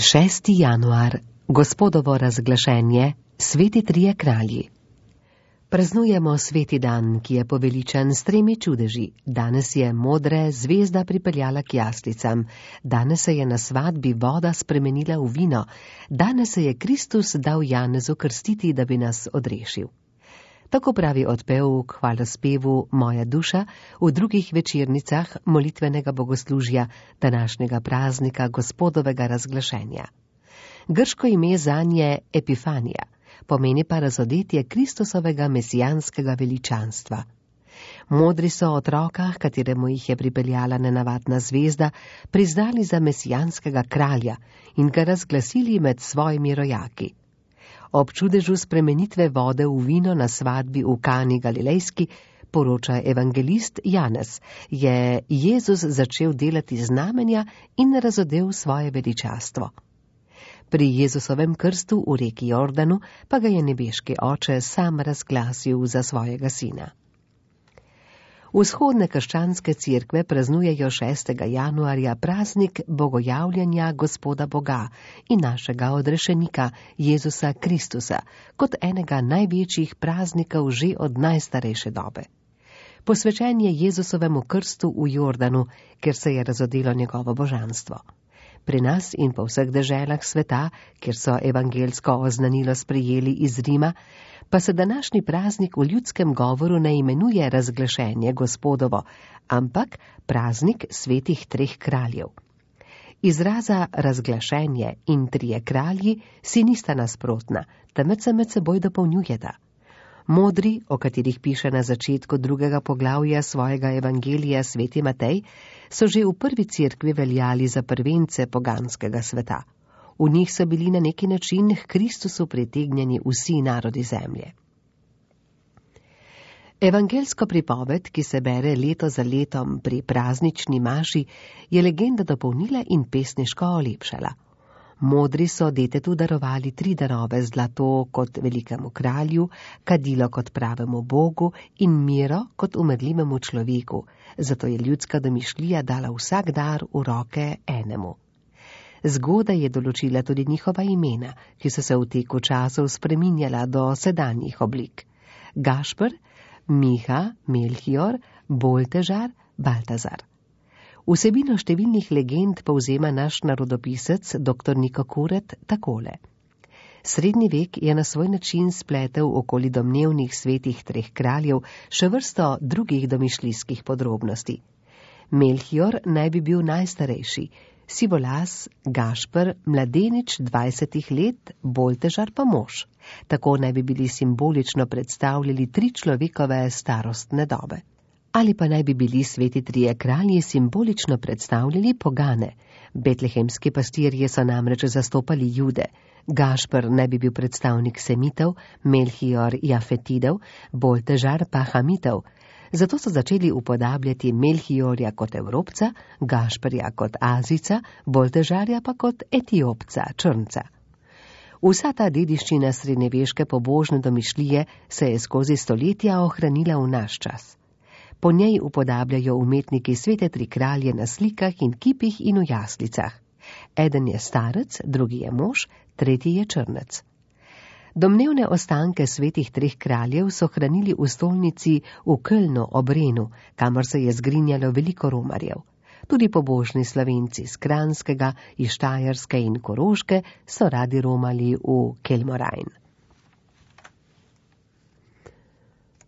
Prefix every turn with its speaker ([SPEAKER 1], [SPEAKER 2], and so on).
[SPEAKER 1] 6. januar, Gospodovo razglašenje, sveti trije kralji. Praznujemo sveti dan, ki je poveličen s 3 čudeži. Danes je modre zvezda pripeljala k jaslicam, danes se je na svadbi voda spremenila v vino, danes se je Kristus dal Janezu krstiti, da bi nas odrešil. Tako pravi odpev k hvalospevu Moja duša v drugih večernicah molitvenega bogoslužja današnjega praznika Gospodovega razglašenja. Grško ime zanje Epifanija, pomeni pa razodetje Kristusovega mesijanskega veličanstva. Modri so otroka, kateremu jih je pripeljala nenavadna zvezda, priznali za mesijanskega kralja in ga razglasili med svojimi rojaki. Ob čudežu spremenitve vode v vino na svadbi v Kani Galilejski, poroča evangelist Janez, je Jezus začel delati znamenja in razodel svoje veličastvo. Pri Jezusovem krstu v reki Jordanu pa ga je nebeški oče sam razglasil za svojega sina. Vzhodne krščanske cerkve praznujejo 6. januarja praznik bogojavljanja Gospoda Boga in našega odrešenika Jezusa Kristusa kot enega največjih praznikov že od najstarejše dobe. Posvečen je Jezusovemu krstu v Jordanu, kjer se je razodelo njegovo božanstvo. Pri nas in po vseh deželah sveta, kjer so evangelsko oznanilo sprejeli iz Rima, pa se današnji praznik v ljudskem govoru ne imenuje razglašenje Gospodovo, ampak praznik svetih 3 kraljev. Izraza razglašenje in 3 kralji si nista nasprotna, temveč se med seboj dopolnjujeta. Modri, o katerih piše na začetku 2. poglavja svojega evangelija sveti Matej, so že v prvi cerkvi veljali za prvence poganskega sveta. V njih so bili na neki način k Kristusu pritegnjeni vsi narodi zemlje. Evangelsko pripoved, ki se bere leto za letom pri praznični maši, je legenda dopolnila in pesniško olepšala. Modri so detetu darovali 3 darove: zlato kot velikemu kralju, kadilo kot pravemu Bogu in miro kot umrljivemu človeku, zato je ljudska domišljija dala vsak dar v roke enemu. Zgodaj je določila tudi njihova imena, ki so se v teku časov spreminjala do sedanjih oblik. Gašper, Miha, Melchior, Boltežar, Baltazar. Vsebino številnih legend povzema naš narodopisec dr. Niko Kuret takole. Srednji vek je na svoj način spletel okoli domnevnih svetih 3 kraljev še vrsto drugih domišljijskih podrobnosti. Melchior naj bi bil najstarejši, sivolas, Gašper mladenič 20 let, Boltežar pa mož. Tako naj bi bili simbolično predstavljali 3 človekove starostne dobe. Ali pa naj bi bili sveti 3 kralji simbolično predstavljali pogane. Betlehemski pastirji so namreč zastopali Jude. Gašper naj bi bil predstavnik Semitov, Melchior Jafetidov, Boltežar pa Hamitov. Zato so začeli upodabljati Melchiorja kot Evropca, Gašperja kot Azijca, Boltežarja pa kot Etiopca, Črnca. Vsa ta dediščina srednjeveške pobožne domišljije se je skozi stoletja ohranila v naš čas. Po njej upodabljajo umetniki svete 3 kralje na slikah in kipih in v jaslicah. Eden je starec, drugi je mož, tretji je črnec. Domnevne ostanke svetih 3 kraljev so hranili v stolnici v Kölnu ob Renu, kamor se je zgrinjalo veliko romarjev. Tudi pobožni Slovenci iz Kranjskega, iz Štajerske in Koroške so radi romali v Kelmorajn.